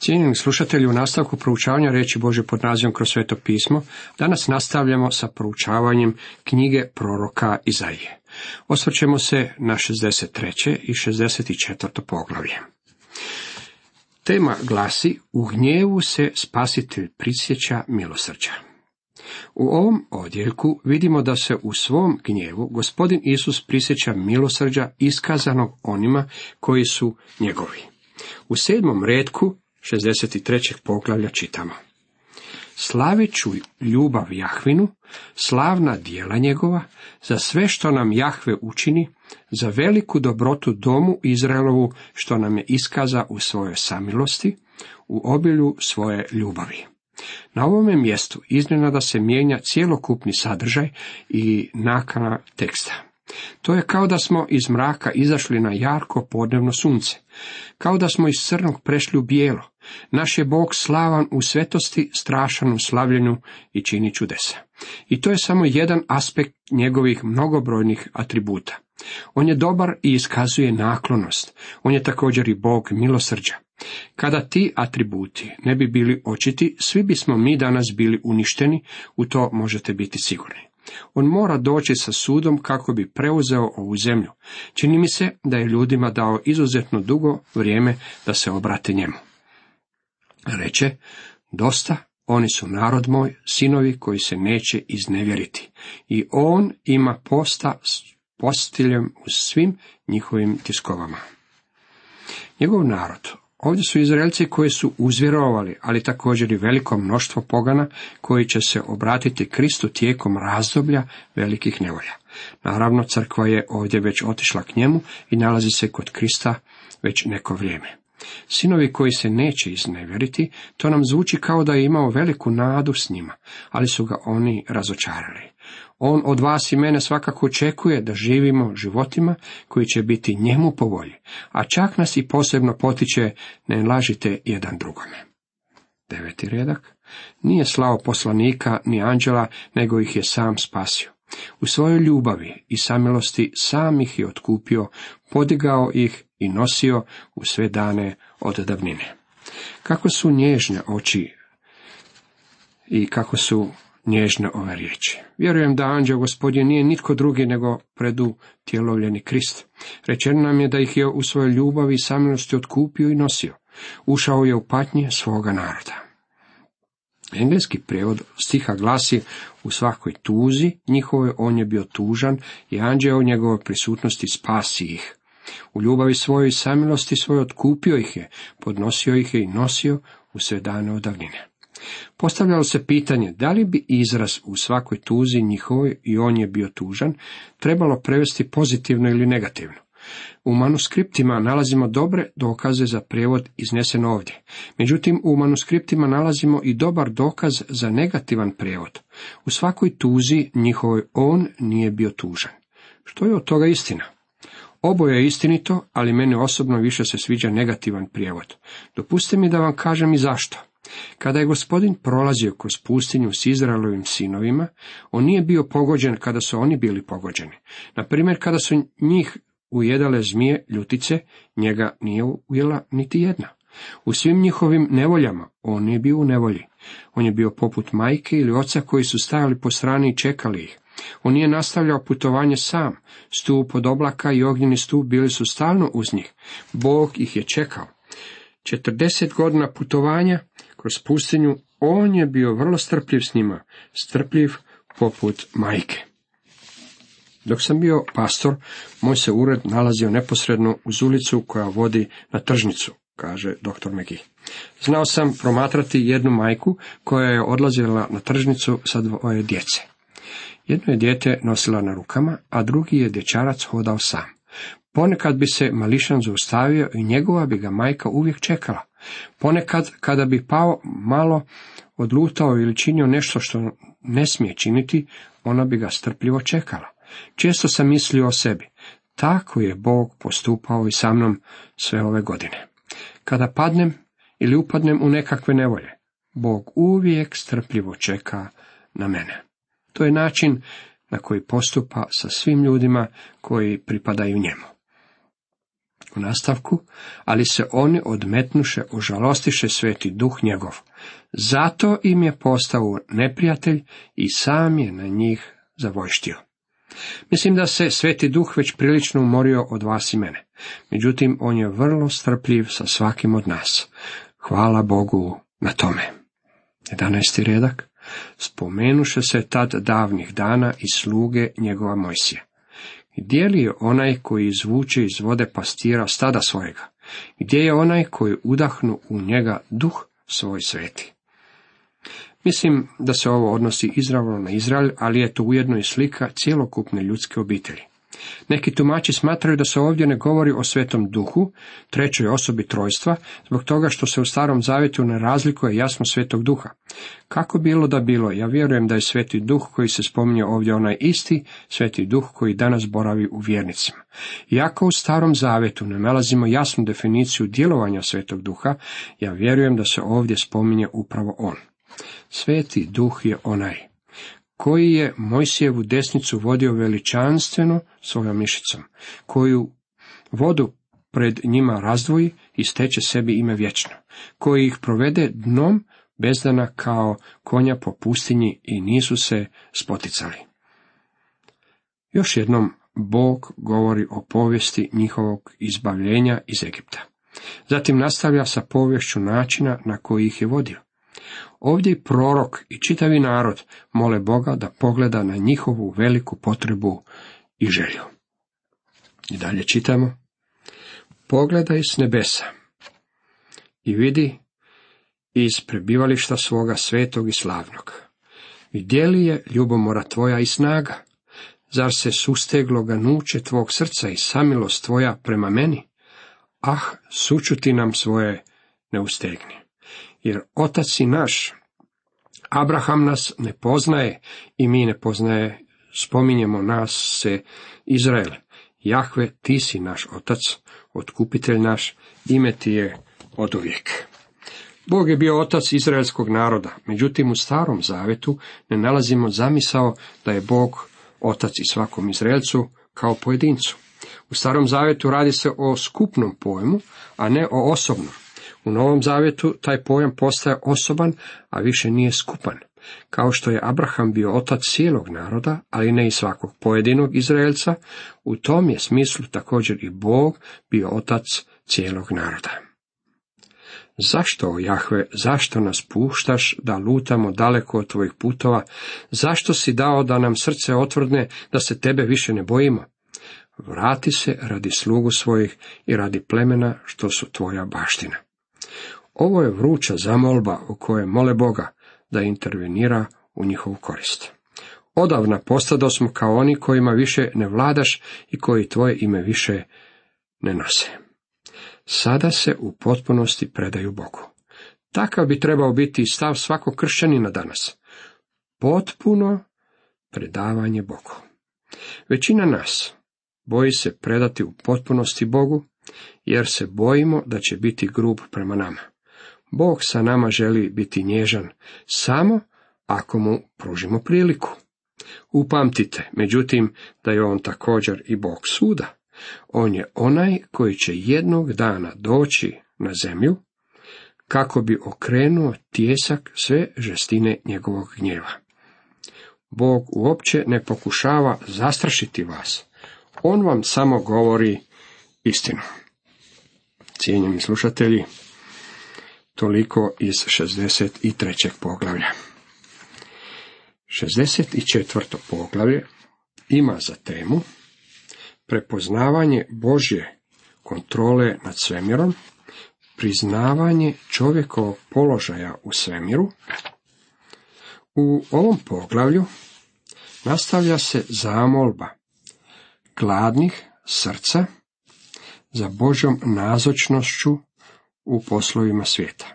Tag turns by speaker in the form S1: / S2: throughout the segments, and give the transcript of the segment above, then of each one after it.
S1: Cijenjeni slušatelji, u nastavku proučavanja riječi Božje pod nazivom Kroz sveto pismo, danas nastavljamo sa proučavanjem knjige proroka Izaije. Osvrćemo se na 63. i 64. poglavlje. Tema glasi: U gnjevu se Spasitelj prisjeća milosrđa. U ovom odjeljku vidimo da se u svom gnjevu Gospodin Isus prisjeća milosrđa iskazanog onima koji su njegovi. U 7. retku 63. poglavlja čitamo: Slavit ću ljubav Jahvinu, slavna djela njegova, za sve što nam Jahve učini, za veliku dobrotu domu Izraelovu što nam je iskaza u svojoj samilosti, u obilju svoje ljubavi. Na ovome mjestu iznenada se mijenja cjelokupni sadržaj i nakana teksta. To je kao da smo iz mraka izašli na jarko podnevno sunce, kao da smo iz crnog prešli u bijelo. Naš je Bog slavan u svetosti, strašan u slavljenju i čini čudesa. I to je samo jedan aspekt njegovih mnogobrojnih atributa. On je dobar i iskazuje naklonost. On je također i Bog milosrđa. Kada ti atributi ne bi bili očiti, svi bismo mi danas bili uništeni, u to možete biti sigurni. On mora doći sa sudom kako bi preuzeo ovu zemlju. Čini mi se da je ljudima dao izuzetno dugo vrijeme da se obrate njemu. Reče: dosta, oni su narod moj, sinovi koji se neće iznevjeriti. I on ima posta s postiljem u svim njihovim tiskovama. Njegov narod. Ovdje su Izraelci koji su uzvjerovali, ali također i veliko mnoštvo pogana koji će se obratiti Kristu tijekom razdoblja velikih nevolja. Naravno, crkva je ovdje već otišla k njemu i nalazi se kod Krista već neko vrijeme. Sinovi koji se neće iznevjeriti, to nam zvuči kao da je imao veliku nadu s njima, ali su ga oni razočarali. On od vas i mene svakako očekuje da živimo životima koji će biti njemu po volji, a čak nas i posebno potiče: ne lažite jedan drugome. 9. redak. Nije slao poslanika ni anđela, nego ih je sam spasio. U svojoj ljubavi i samilosti sam ih je otkupio, podigao ih i nosio u sve dane od davnine. Kako su nježne oči i kako su nježne ove riječi. Vjerujem da anđeo Gospodin nije nitko drugi nego predutjelovljeni Krist. Rečeno nam je da ih je u svojoj ljubavi i samilosti otkupio i nosio. Ušao je u patnje svoga naroda. Engleski prijevod stiha glasi: u svakoj tuzi njihovoj on je bio tužan i anđeo u njegovoj prisutnosti spasi ih. U ljubavi svojoj i samilosti svojoj otkupio ih je, podnosio ih je i nosio u sve dane od davnine. Postavljalo se pitanje da li bi izraz u svakoj tuzi njihovoj i on je bio tužan trebalo prevesti pozitivno ili negativno. U manuskriptima nalazimo dobre dokaze za prijevod iznesen ovdje. Međutim, u manuskriptima nalazimo i dobar dokaz za negativan prijevod. U svakoj tuzi njihovoj on nije bio tužan. Što je od toga istina? Oboje je istinito, ali meni osobno više se sviđa negativan prijevod. Dopustite mi da vam kažem i zašto. Kada je Gospodin prolazio kroz pustinju s Izraelovim sinovima, on nije bio pogođen kada su oni bili pogođeni. Na primjer, kada su njih ujedale zmije ljutice, njega nije ujela niti jedna. U svim njihovim nevoljama on nije bio u nevolji. On je bio poput majke ili oca koji su stajali po strani i čekali ih. On nije nastavljao putovanje sam. Stup od oblaka i ognjeni stup bili su stalno uz njih. Bog ih je čekao. 40 godina putovanja kroz pustinju on je bio vrlo strpljiv s njima, strpljiv poput majke. Dok sam bio pastor, moj se ured nalazio neposredno uz ulicu koja vodi na tržnicu, kaže dr. McGee. Znao sam promatrati jednu majku koja je odlazila na tržnicu sa 2 djece. Jedno je dijete nosila na rukama, a drugi je dječarac hodao sam. Ponekad bi se mališan zaustavio i njegova bi ga majka uvijek čekala. Ponekad, kada bi pao malo, odlutao ili činio nešto što ne smije činiti, ona bi ga strpljivo čekala. Često sam mislio o sebi: tako je Bog postupao i sa mnom sve ove godine. Kada padnem ili upadnem u nekakve nevolje, Bog uvijek strpljivo čeka na mene. To je način na koji postupa sa svim ljudima koji pripadaju njemu. U nastavku, ali se oni odmetnuše, užalostiše Sveti Duh njegov. Zato im je postao neprijatelj i sam je na njih zavojštio. Mislim da se Sveti Duh već prilično umorio od vas i mene. Međutim, on je vrlo strpljiv sa svakim od nas. Hvala Bogu na tome. 11. redak. Spomenuše se tad davnih dana i sluge njegova Mojsija. Gdje li je onaj koji izvuče iz vode pastira stada svojega? Gdje je onaj koji udahnu u njega duh svoj sveti? Mislim da se ovo odnosi izravno na Izrael, ali je to ujedno i slika cjelokupne ljudske obitelji. Neki tumači smatraju da se ovdje ne govori o Svetom Duhu, trećoj osobi trojstva, zbog toga što se u Starom Zavjetu ne razlikuje jasno Svetog Duha. Kako bilo da bilo, ja vjerujem da je Sveti Duh koji se spominje ovdje onaj isti Sveti Duh koji danas boravi u vjernicima. Iako u Starom Zavjetu ne nalazimo jasnu definiciju djelovanja Svetog Duha, ja vjerujem da se ovdje spominje upravo on. Sveti Duh je onaj koji je Mojsijevu desnicu vodio veličanstveno svojom mišicom, koju vodu pred njima razdvoji i steče sebi ime vječno, koji ih provede dnom bezdana kao konja po pustinji i nisu se spoticali. Još jednom Bog govori o povijesti njihovog izbavljenja iz Egipta. Zatim nastavlja sa poviješću načina na koji ih je vodio. Ovdje i prorok i čitavi narod mole Boga da pogleda na njihovu veliku potrebu i želju. I dalje čitamo. Pogledaj s nebesa i vidi iz prebivališta svoga svetog i slavnog. Gdje li je ljubomora tvoja i snaga? Zar se susteglo ganuće tvog srca i samilost tvoja prema meni? Ah, sućuti nam svoje ne ustegni. Jer otac si naš, Abraham nas ne poznaje i mi ne poznaje, spominjemo nas se Izrael. Jahve, ti si naš otac, otkupitelj naš, ime ti je oduvijek. Bog je bio otac izraelskog naroda, međutim u Starom Zavetu ne nalazimo zamisao da je Bog otac i svakom Izraelcu kao pojedincu. U Starom Zavetu radi se o skupnom pojmu, a ne o osobnom. U Novom Zavjetu taj pojam postaje osoban, a više nije skupan. Kao što je Abraham bio otac cijelog naroda, ali ne i svakog pojedinog Izraelca, u tom je smislu također i Bog bio otac cijelog naroda. Zašto, Jahve, zašto nas puštaš da lutamo daleko od tvojih putova? Zašto si dao da nam srce otvrdne, da se tebe više ne bojimo? Vrati se radi slugu svojih i radi plemena što su tvoja baština. Ovo je vruća zamolba u kojoj mole Boga da intervenira u njihovu korist. Odavna postado smo kao oni kojima više ne vladaš i koji tvoje ime više ne nose. Sada se u potpunosti predaju Bogu. Takav bi trebao biti stav svakog kršćanina danas. Potpuno predavanje Bogu. Većina nas boji se predati u potpunosti Bogu, jer se bojimo da će biti grub prema nama. Bog sa nama želi biti nježan, samo ako mu pružimo priliku. Upamtite, međutim, da je on također i Bog suda. On je onaj koji će jednog dana doći na zemlju, kako bi okrenuo tijesak sve žestine njegovog gnjeva. Bog uopće ne pokušava zastrašiti vas. On vam samo govori istinu. Cijenjeni slušatelji, toliko iz 63. poglavlja. 64. poglavlje ima za temu prepoznavanje Božje kontrole nad svemirom, priznavanje čovjekovog položaja u svemiru. U ovom poglavlju nastavlja se zamolba gladnih srca za Božjom nazočnošću u poslovima svijeta.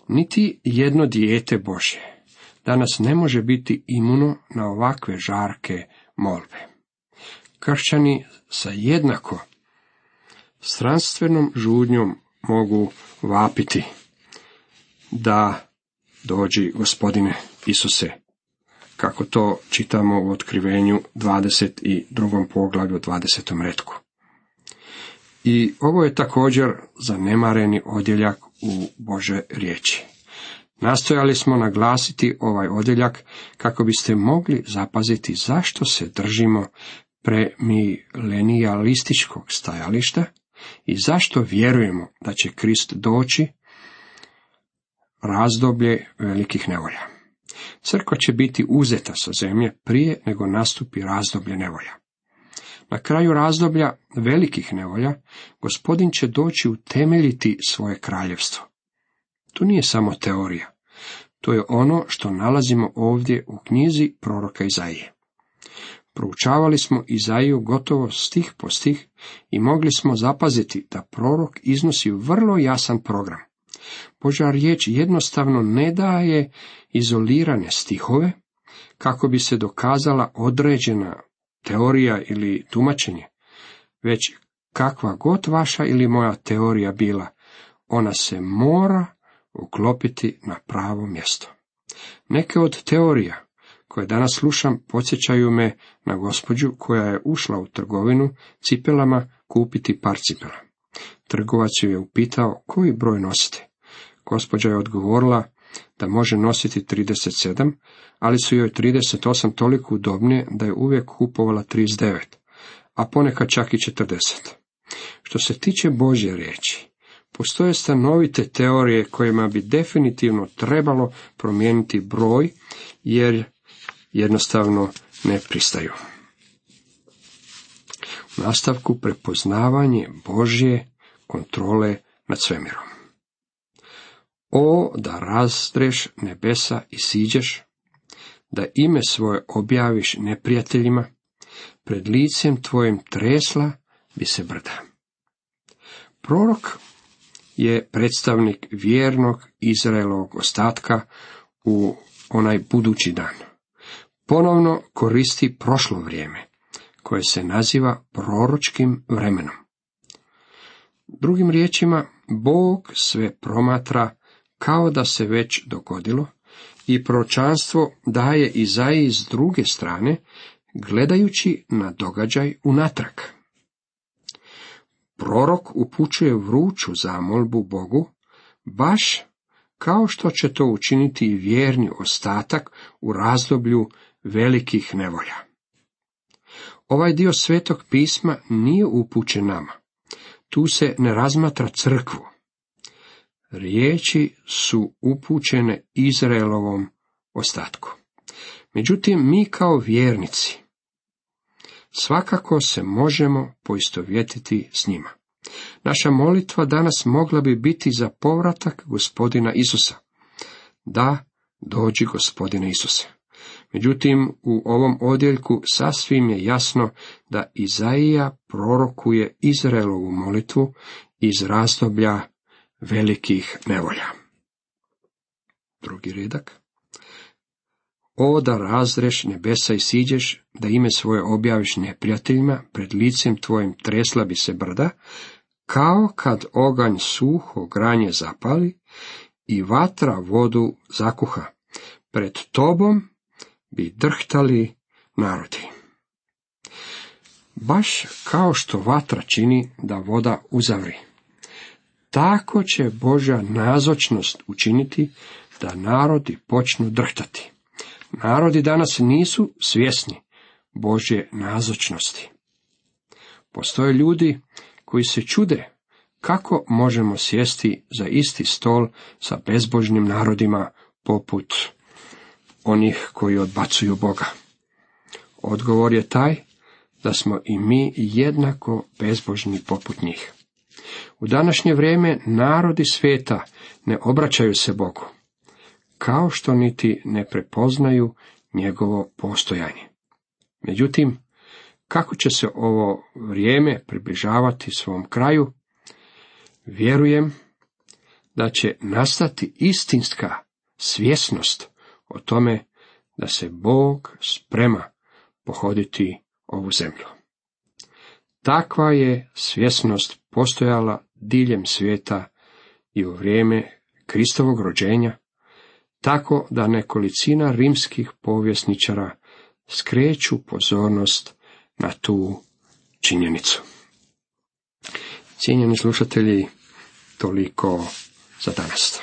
S1: Niti jedno dijete Božje danas ne može biti imuno na ovakve žarke molbe. Kršćani sa jednako stranstvenom žudnjom mogu vapiti da dođi Gospodine Isuse, kako to čitamo u Otkrivenju 22. poglavlju 20. retku. I ovo je također zanemareni odjeljak u Božoj riječi. Nastojali smo naglasiti ovaj odjeljak kako biste mogli zapaziti zašto se držimo premilenijalističkog stajališta i zašto vjerujemo da će Krist doći razdoblje velikih nevolja. Crkva će biti uzeta sa zemlje prije nego nastupi razdoblje nevolja. Na kraju razdoblja velikih nevolja Gospodin će doći utemeljiti svoje kraljevstvo. To nije samo teorija. To je ono što nalazimo ovdje u knjizi proroka Izaije. Proučavali smo Izaiju gotovo stih po stih i mogli smo zapaziti da prorok iznosi vrlo jasan program. Božja riječ jednostavno ne daje izolirane stihove kako bi se dokazala određena teorija ili tumačenje, već kakva god vaša ili moja teorija bila, ona se mora uklopiti na pravo mjesto. Neke od teorija koje danas slušam podsjećaju me na gospođu koja je ušla u trgovinu cipelama kupiti par cipela. Trgovac ju je upitao koji broj nosite. Gospođa je odgovorila da može nositi 37, ali su joj 38 toliko udobnije da je uvijek kupovala 39, a ponekad čak i 40. Što se tiče Božje riječi, postoje stanovite teorije kojima bi definitivno trebalo promijeniti broj, jer jednostavno ne pristaju. U nastavku prepoznavanje Božje kontrole nad svemirom. O, da razdreš nebesa i siđeš, da ime svoje objaviš neprijateljima, pred licem tvojim tresla bi se brda. Prorok je predstavnik vjernog Izraelovog ostatka u onaj budući dan. Ponovno koristi prošlo vrijeme, koje se naziva proročkim vremenom. Drugim riječima, Bog sve promatra kao da se već dogodilo i proročanstvo daje Izaiji s druge strane, gledajući na događaj unatrag. Prorok upućuje vruću zamolbu Bogu, baš kao što će to učiniti i vjerni ostatak u razdoblju velikih nevolja. Ovaj dio Svetog pisma nije upućen nama. Tu se ne razmatra crkvu. Riječi su upućene Izraelovom ostatku. Međutim, mi kao vjernici svakako se možemo poistovjetiti s njima. Naša molitva danas mogla bi biti za povratak Gospodina Isusa. Da, dođi Gospodine Isuse. Međutim, u ovom odjeljku sasvim je jasno da Izaija prorokuje Izraelovu molitvu iz razdoblja velikih nevolja. Drugi redak. O, da razdreš nebesa i siđeš, da ime svoje objaviš neprijateljima, pred licem tvojim tresla bi se brda, kao kad oganj suho granje zapali i vatra vodu zakuha. Pred tobom bi drhtali narodi. Baš kao što vatra čini da voda uzavri, tako će Božja nazočnost učiniti da narodi počnu drhtati. Narodi danas nisu svjesni Božje nazočnosti. Postoje ljudi koji se čude kako možemo sjesti za isti stol sa bezbožnim narodima poput onih koji odbacuju Boga. Odgovor je taj da smo i mi jednako bezbožni poput njih. U današnje vrijeme narodi svijeta ne obraćaju se Bogu, kao što niti ne prepoznaju njegovo postojanje. Međutim, kako će se ovo vrijeme približavati svom kraju, vjerujem da će nastati istinska svjesnost o tome da se Bog sprema pohoditi ovu zemlju. Takva je svjesnost postojala diljem svijeta i u vrijeme Kristovog rođenja, tako da nekolicina rimskih povjesničara skreću pozornost na tu činjenicu. Cijenjeni slušatelji, toliko za danas.